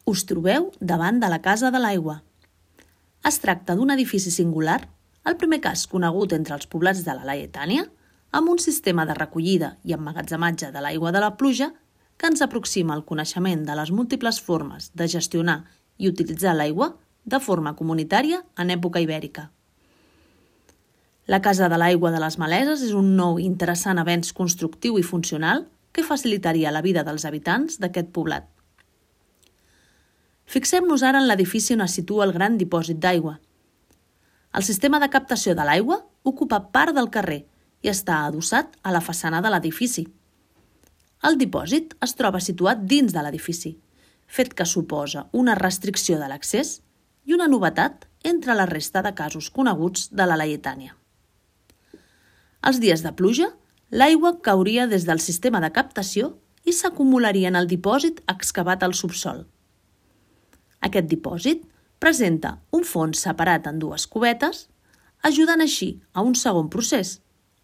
Us trobeu davant de la Casa de l'Aigua. Es tracta d'un edifici singular, el primer cas conegut entre els poblats de la Laietània, amb un sistema de recollida i emmagatzematge de l'aigua de la pluja que ens aproxima al coneixement de les múltiples formes de gestionar i utilitzar l'aigua de forma comunitària en època ibèrica. La Casa de l'Aigua de les Maleses és un nou i interessant avenç constructiu i funcional que facilitaria la vida dels habitants d'aquest poblat. Fixem-nos ara en l'edifici on es situa el gran dipòsit d'aigua. El sistema de captació de l'aigua ocupa part del carrer i està adossat a la façana de l'edifici. El dipòsit es troba situat dins de l'edifici, fet que suposa una restricció de l'accés i una novetat entre la resta de casos coneguts de la Laietània. Els dies de pluja, l'aigua cauria des del sistema de captació i s'acumularia en el dipòsit excavat al subsol. Aquest dipòsit presenta un fons separat en dues cubetes, ajudant així a un segon procés,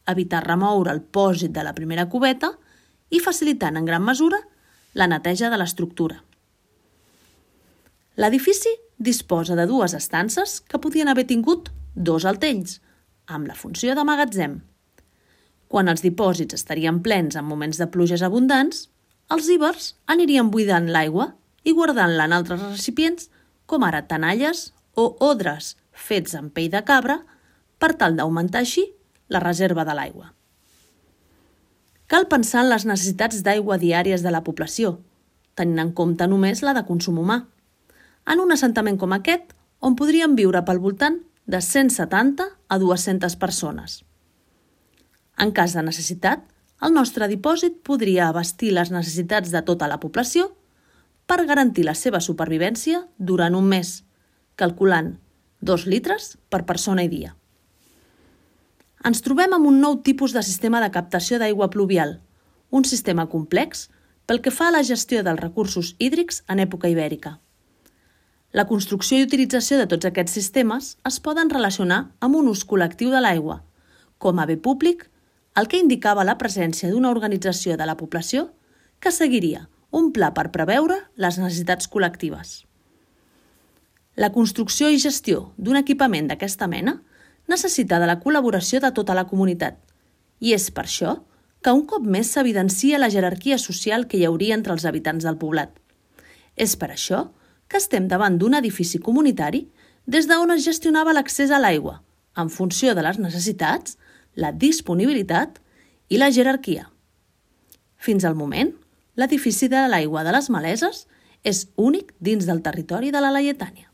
evitar remoure el pòsit de la primera cubeta i facilitant en gran mesura la neteja de l'estructura. L'edifici disposa de dues estances que podien haver tingut 2 altells, amb la funció de magatzem. Quan els dipòsits estarien plens en moments de pluges abundants, els ibers anirien buidant l'aigua i guardant-la en altres recipients, com ara tenalles o odres fets amb pell de cabra, per tal d'augmentar així la reserva de l'aigua. Cal pensar en les necessitats d'aigua diàries de la població, tenint en compte només la de consum humà. En un assentament com aquest, on podrien viure pel voltant de 170 a 200 persones. En cas de necessitat, el nostre dipòsit podria abastir les necessitats de tota la població per garantir la seva supervivència durant un mes, calculant 2 litres per persona i dia. Ens trobem amb un nou tipus de sistema de captació d'aigua pluvial, un sistema complex pel que fa a la gestió dels recursos hídrics en època ibèrica. La construcció i utilització de tots aquests sistemes es poden relacionar amb un ús col·lectiu de l'aigua, com a bé públic, el que indicava la presència d'una organització de la població que seguiria un pla per preveure les necessitats col·lectives. La construcció i gestió d'un equipament d'aquesta mena necessita de la col·laboració de tota la comunitat i és per això que un cop més s'evidencia la jerarquia social que hi hauria entre els habitants del poblat. És per això que estem davant d'un edifici comunitari des d'on es gestionava l'accés a l'aigua, en funció de les necessitats, la disponibilitat i la jerarquia. Fins al moment, l'edifici de l'Aigua de les Maleses és únic dins del territori de la Laietània.